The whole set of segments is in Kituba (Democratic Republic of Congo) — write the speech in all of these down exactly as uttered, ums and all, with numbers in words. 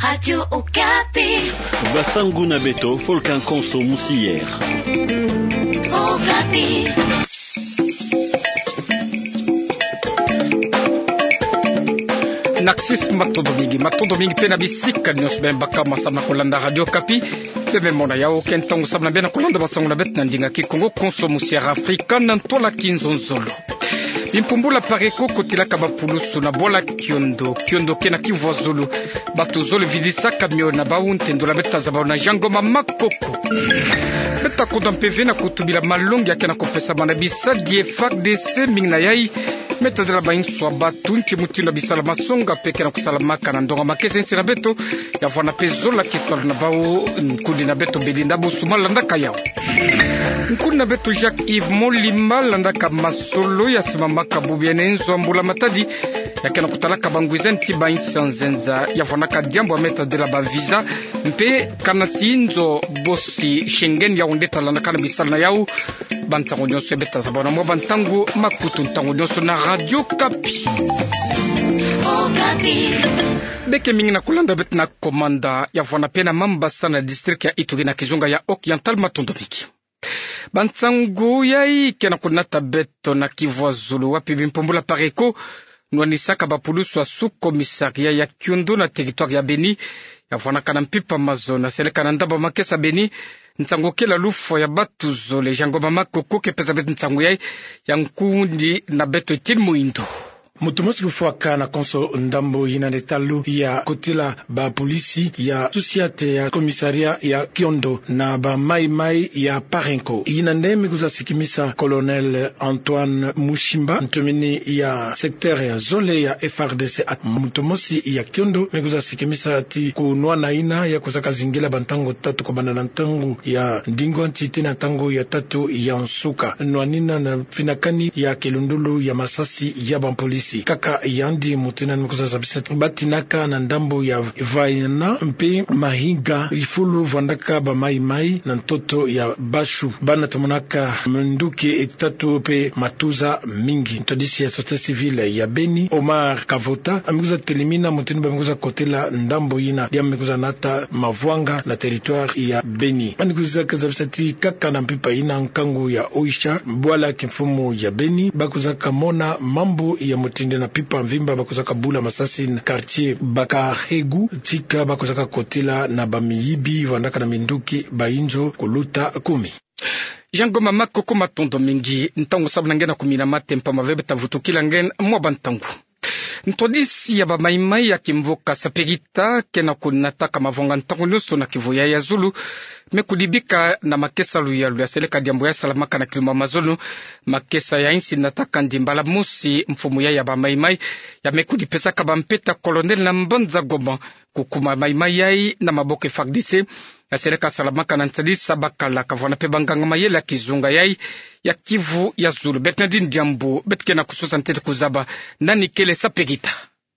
Radio Okapi. Basangu na beto, Volcan Konso Musier. Okapi. Narcisse, matondo mingi, matondo mingi pe na bisika nyonso bie bakama samu na kolanda Radio Okapi. Bie mona yawu ke ntangu samu na bie na kolanda basangu na beto na ndinga Kikongo, Konso Musier Afrika na ntwala Kinzonzolo. Bimpumbula Pareko kotilaka bapulusu na bwala Kiondo, Kiondo ke na Kivu ya Zulu. Bato zole vidisaka mio na bawu, ntendolo ya beto tazabana na Jean Ngoma Makoko. Beto ta konda mpeve na kutubila malongi ya ke na kopesama na bisadi ya F A R D C, mingi na yai me tazela bainso ya bato nti mutindu ya bisala masonga pe ke na kosalamaka na ndonga makesa ya nsi na beto. Ya vwanda pe zola kisalu na bawu, nkundi na beto Belinda Bosuma landaka yawu. Nkundi na beto Jacques Yves Molima landaka masolo ya simamaka bubu ya nzo ya mbula matadi, ya ke na kotalaka bangwiza nti ba insi ya nzenza. Ya vwandaka diambu ya me tadila ba visa mpe kanati nzo bosi Schengen, yawu nde talandaka na bisalu na yawu. Bantangu nyonso beto tazabana mwa bantangu, makutu ntangu nyonso na Radio Okapi. Okapi. Beke mingi na kolanda beto na Komanda, ya vwanda pe na Mambasa na district ya Ituri na kizunga ya Haut-Oriental, matondo mingi. Bansangu yai ke na konata beto na Kivu ya Zulu, wapi bimpumbula Pareko nwanisaka bapulusu ya sous-commissariat ya Kiondo na territoire ya Beni, ya vwandaka na mpimpa mazono ya seleka na ndambu ya makesa Beni. Nsangu kele lufwa ya bato zole, Jean Ngoma Makoko ke pesa beto nsangu yai. Ya nkundi na beto Etienne Muindo. Moto mosi kufwaka na konso ndambu yina nde talo ya kotila bapolisi ya sous-commissariat ya Kiondo na ba maï-maï ya Pareko. Yina nde me kwiza sikimisa Colonel Antoine Mushimba, ntomini ya secteur ya zole ya F A R D C. Moto mosi ya Kiondo me kwiza sikimisa ti kunwana yina ya kwizaka zingila bantangu tatu, kobanda na ntangu ya ndingu ya nti tii na ntangu ya tatu ya nsuka, nwanina na finakani ya kilundulu ya masasi ya bapolisi. Kaka yandi moto yina me kwiza zabisa ti batinaka na ndambu ya Vaiana mpe Mahinga, fulu vwandaka ba maï-maï na ntoto ya Bashu, bana tomonaka minduki tatu mpe matuza mingi. Ntwadisi ya société civile ya Beni, Omar Kavota, me kwiza telimina mutindu ba me kwiza kotila ndambu yina, diambu me kwiza nata mavwanga na territoire ya Beni. Yandi kwizaka zabisa ti kaka na mpimpa yina nkangu ya Oicha, bwala kimfumu ya Beni, ba kwizaka mona mambu ya mutindu na mpimpa mvimba ba kwizaka bula masasi na quartier Bakahegu, tika ba kwizaka kotila na bamiyibi vwandaka na minduki, bayinzo kuluta kumi. Jean Ngoma Makoko, matondo mingi. Ntangu samu na nge na kumina mate mpamba ve beta vutukila nge mwa bantangu. Ntwadisi ya ba maï-maï ya kimvuka Saperita ke na kunataka mavwanga ntangu nyonso na Kivu yai ya Zulu me kudibika na makesa Luyalu ya seleka diambu ya salamaka na kilumbu ya mazono. Makesa ya insi nataka ndi mbala mosi mfumu yai ya ba maï-maï ya me kudipesaka bampeta colonel na mbanza Goma, kukuma maï-maï yai na maboko F A R D C. Ya seleka salamaka na ntadisa bakala, kavwanda mpe banganga mayele ya kizunga yai ya Kivu ya Zulu. Beto na dini diambu, beto ke na kusosa ntete kuzaba nani kele Saperita.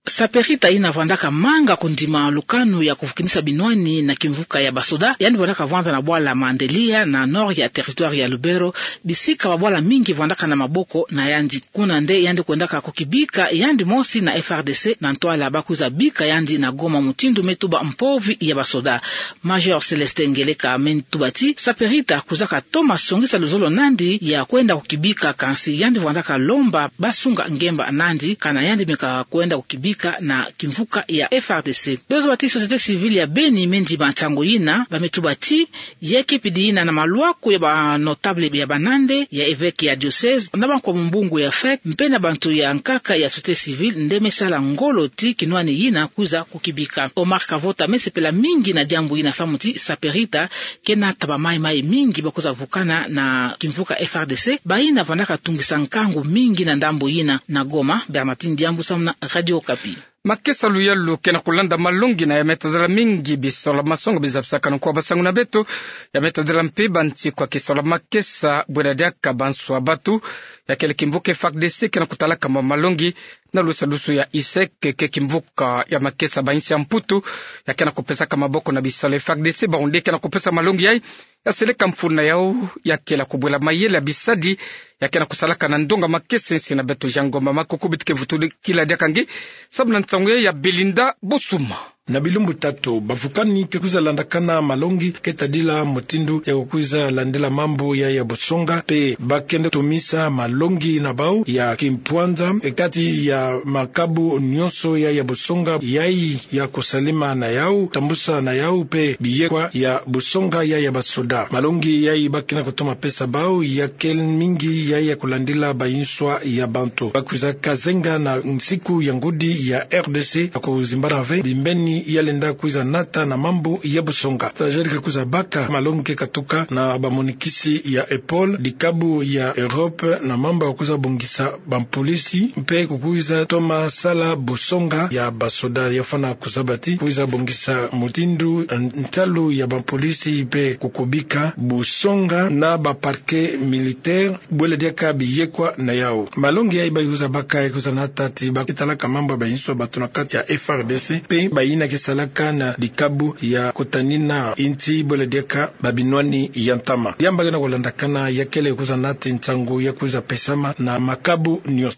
Saperita yina vwandaka manga kundima lukanu ya kuvukinisa binwani na kimvuka ya basoda. Yandi vwandaka vwanda na bwala Mandelia na nord ya territoire ya Lubero, bisika babwala mingi vwandaka na maboko na yandi. Kuna nde yandi kwendaka kukibika yandi mosi na F R D C na ntwala ba kwiza bika yandi na Goma mutindu me tuba mpovi ya basoda. Major Célestin Ngeleka me tuba ti Saperita kwizaka toma songisa luzolo nandi ya kwenda kukibika, kansi yandi vwandaka lomba ba sunga ngemba nandi kana yandi meka kwenda kukibika na kimvuka ya F R D C. Bezo ba ti société civile ya Beni me ndima nsangu yina, ba me tuba ti ya kipidi yina na malwaku ya ba notable ya banande, ya évêque ya diocèse, na bankwa mumbungu ya fek, mpe na bantu ya nkaka ya société civile nde me sala ngolo ti kinwani yina kwiza kukibika. Omar Kavota me sepela mingi na diambu yina samu ti Saperita ke nata ba maï-maï mingi ba kwiza vukana na kimvuka F R D C, bayina vwandaka tungisa nkangu mingi na ndambu yina. Na Goma, Bernardine Diambu samu na Radio Okapi. Makesa Luyalu ke na kulanda malongi na ya me tazela mingi bisola masongo bizabisaka na nkwa basangu na beto. Ya me tazela mpe banti kwa kisola makesa bwela diaka banso ya bato. Ya kele kimvuka F R D C ke na kutalaka mwa malongi na lusalusu ya ISEC, ke kimvuka ya makesa ba insi ya Mputu ya ke na kupesaka maboko na bisola F R D C, bawu nde ke na kupesa malongi yai. Ya seleka mfunu na yawu ya kela kubwela mayele ya bisadi ya ke na kusalaka na ndonga makesa nsi na beto. Jean Ngoma Makoko, beto ke vutukila diaka nge samu na nsangu yai ya Belinda Bosuma. Na bilumbu tatu bavukani ke kwiza landakana malongi ke tadila mutindu ya kukwiza landila mambu ya ya busonga, mpe ba kenda tumisa malongi na bau ya kimpwanza, e, kati ya makabu nionso ya ya busonga, yayi ya kusalima na yau, tambusa na yau, mpe biyekwa ya busonga ya ya basoda. Malongi yayi ba kenda kutoma pesa bau ya kele mingi ya ya kulandila bayinswa ya bantu. Ba kwizaka zenga na nsiku ya ngudi ya R D C, ya kuzimbana ve bimbeni ya lenda kwiza nata na mambu ya busonga. Tajadika kwiza baka malongi ke katuka na bamonikisi ya EPOL, dikabu ya Europe, na mambu ya kwiza bongisa bampolisi, mpe kukwiza toma sala busonga ya basoda. Ya fwana kuzaba ti kwiza bongisa mutindu, n-, ntalu ya bampolisi, mpe kukubika busonga na ba parquet militaire, bwela diaka biyekwa na yau. Malongi yayi ba kwiza baka, ya kwiza nata ti ba ke talaka mambu ya bayinswa bantu na kati ya F R D C, mpe bayina ke salaka na dikabu ya kutanina insi, bwela diaka babinwani ya ntama. Yamba kena kulandakana ya kele kwiza nata ti nsangu ya kwiza pesama na makabu nionso.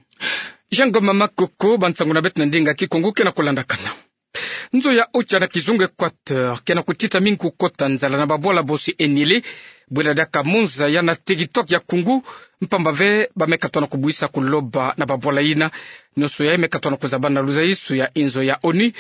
Jean Ngoma Makoko, bansangu na beto na ndinga Kikongo kena kulandakana. Nzo ya otia na kizunga Equateur kena kutita mingi kukota nzala na babwala bosi enile, bwela diaka monza ya na TikTok ya Kungu, mpamba ve ba me katona kubwisa kuloba na babwala yina. Nionso yayi me katona kuzabana na luzaiso ya inzo ya ONU,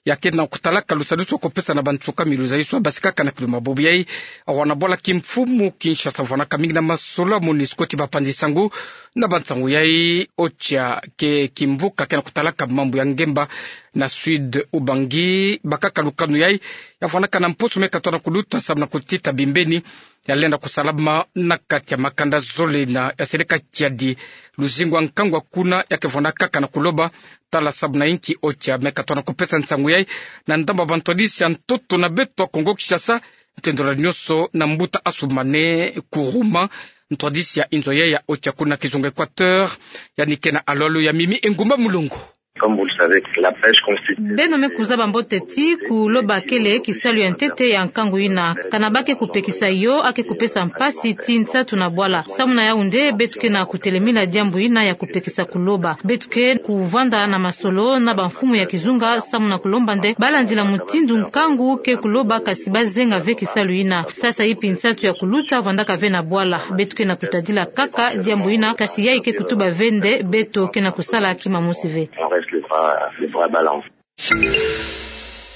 ya kena kutalaka lusadisu ya kupesa na bansuka mi luzaiso ya basikaka na kiluma. Bubu yayi, awa na bwala kimfumu Kinshasa vwanaka mingi na masolo ya MONUSCO ti bapanzi nsangu na bansangu yayi. Otia ke kimvuka kena kutalaka mambu ya ngemba na Sud Ubangi, bakaka lukanu yayi ya vwanaka na mposo me katona kuluta samu na kutita bimbeni ya lenda kusalama na kati ya makanda zole na ya seleka kiadi. Luzingu ya nkangu ya kuna ya ke vwanaka kaka na kuloba tala samu na inki otia me katona kupesa nsangu yayi na ndambu ya bantwadisi ya ntoto na beto ya Kongo Kinshasa, ntendolo nionso na mbuta Assoumani Kourouma, ntwadisi ya inzo yayi ya otia kuna kizunga Equateur, yandi kena alolo ya Mimi Engumba Mulongo. Comme vous le savez, la pêche constitue... Beno me kuzaba mbote ti kuloba kele kisalu ya ntete ya nkangu yina. Kana ba ke kupekisa yo, a ke kupesa mpasi ti nsatu na bwala. Samu na yau nde beto kena kutelemina diambu yina ya kupekisa kuloba. Beto ke kuvanda na masolo na bamfumu ya kizunga samu na kulomba nde ba landila mutindu nkangu ke kuloba, kasi ba zenga ve kisalu yina. Sasa ipi nsatu ya kuluta vandaka ve na bwala. Beto kena kutadila kaka diambu yina, kasi yayi ke kutuba ve nde beto kena kusala kima mosi ve. On reste les bras, les bras balancés.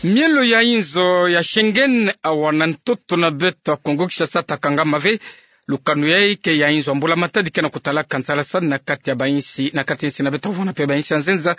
Mielo ya inzo ya Schengen awa na ntoto na beto ya Kongo Kinshasa ta kangama ve. Lukanu yayi ke ya inzo ya mbula matadi kena kutalaka nsalasani na kati ya bainsi, na kati ya insi na beto vwana mpe bainsi ya nzenza.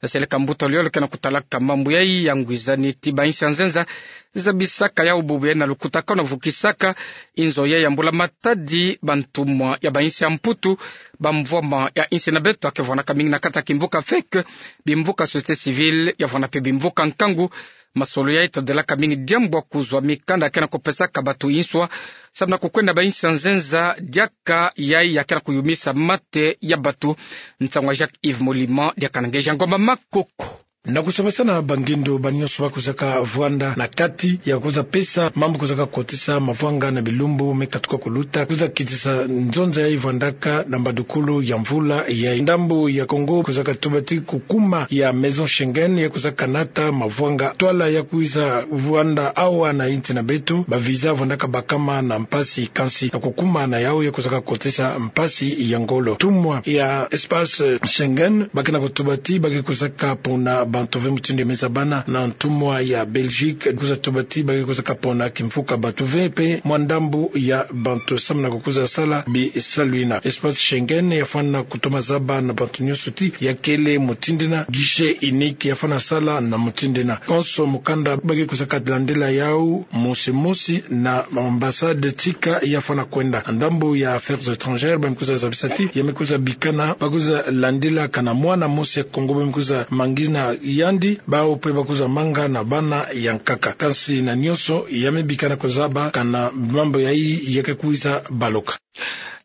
Ya seleka mbuta luyolo kena kutalaka mambu yayi ya ngwizani ti bainsi ya nzenza zabisaka yau bubu yayi na lukutakanu ya vukisaka inzo yayi ya mbula matadi, bantumwa ya bainsi ya Mputu, bamvwama ya insi na beto ya ke vwanaka mingi na kati ya kimvuka FEC, bimvuka société civile, ya vwana mpe bimvuka nkangu. Masolo yayi tadelaka mingi diambu ya kuzwa mikanda kena kupesaka batu inswa samu na kukwenda bainsi ya nzenza, diaka yayi ya kena kuyumisa mate ya batu. Nsangu ya Jacques Yves Molima, diaka na nge Jean Ngoma Makoko. Na kusamasana bangindo banionso ba kwizaka vwanda na kati ya kwiza pesa mambu kwizaka kotisa mavwanga na bilumbu me katuka kuluta, kwiza kitisa nzonza yayi vwandaka na mbadukulu ya mvula yayi. Ndambu ya Kongo kwizaka tuba ti kukuma ya Maison Schengen ya kwizaka nata mavwanga. Ntwala ya kwiza vwanda awa na insi na beto, ba visa vwandaka bakama na mpasi, kansi na kukuma na yau ya kwizaka kotisa mpasi ya ngolo. Ntumwa ya espace Schengen ba kena kutuba ti ba ke kwizaka pona bantu ve mutindu ya me zabana na ntumwa ya Belgique, kwiza tuba ti ba ke kwizaka pona kimvuka bantu ve mpe mwa ndambu ya bantu samu na kukwiza sala bisalu yina. Espace Schengen ya fwana kutoma zaba na bantu nionso ti ya kele mutindu yina, guichet unique ya fwana sala na mutindu yina. Konso mukanda ba ke kwizaka landila yau mosi mosi na ambassade tika ya fwana kwenda. Ndambu ya affaires étrangères ba me kwiza zabisa ti ya me kwiza bikana, ba kwiza landila kana mwana mosi ya Kongo ba me kwiza mangina yandi, bawu mpe ba kwiza manga na bana ya nkaka. Kansi na nionso ya me bikana kuzaba kana mambu yayi ya ke kwiza baloka.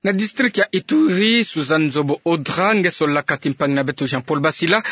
Na district ya Ituri, Suzanne Nzobo Odra, ngeso laka ti mpangi na beto Jean-Paul Basila,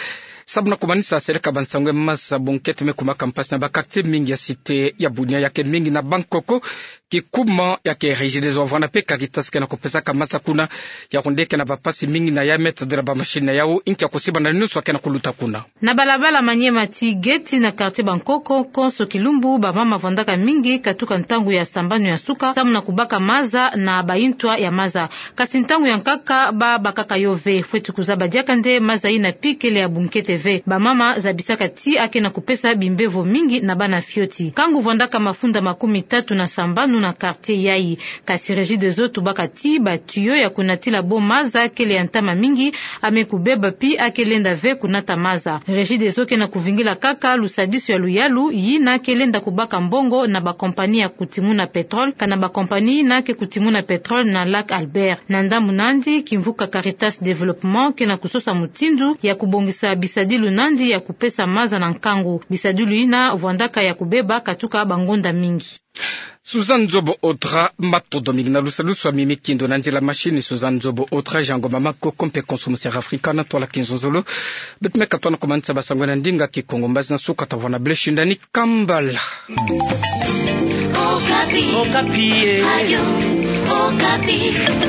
Samu na kumanisa seleka ba nsangu ya maza, bunkete me kumaka mpasi na ba quartier mingi ya cité ya Bunia, ya ke mingi na Bangkok. Kikuma ya ke Regideso, wavwanda pe Caritas, ke na kupesaka maza kuna. Yaondo ke na ba mpasi mingi na ya me tadila ba machine na yau, inki ya kusiba na nyonso ke na kuluta kuna. Na balabala Maniema tii Gate na quartier Bangkok, konso kilumbu ba mama vwandaka mingi katuka ntangu ya sambanu ya suka, samu na kubaka maza na ba intwa ya maza. Kasi ntangu ya nkaka ba bakaka yo ve. Fweti kuzaba diaka nde maza ina pi kele ya bunkete ve. Ba mama zabisaka ti a ke na kupesa bimbevo mingi na bana fioti. Nkangu vwandaka mafunda makumi tatu na sambanu na quartier yai. Kasi Regideso tubaka ti ba tuyau ya kunatila bo maza kele ya ntama mingi, a me kubeba pi a ke lenda ve kunata maza. Regideso ke na kuvingila kaka lusadisu ya luyalu, yina ke lenda kubaka mbongo na ba compagnie ya kutimuna pétrole, kana ba compagnie yina ke kutimuna pétrole na Lac Albert. Na ndambu nandi, kimvuka Caritas Développement ke na kusosa mutindu ya kubongisa bisadilu nandi ya kupesa maza na nkangu. Bisadilu yina vwandaka ya kubeba katuka ba ngonda mingi. Suzanne Nzobo Audra, matondo mingi. Na lusalusu a Mimi Kindo na ndila machine, Suzanne Nzobo Audra, Jean Ngoma Makoko mpe Konso Musiere Afrika na ntwala kinzonzolo. Beto me katoa na kumanisa ba nsangu na ndinga Kikongo, mbazi na suka tavwanda, bele shinda ni kambala. Okapi. Okapi, eh. Radio Okapi.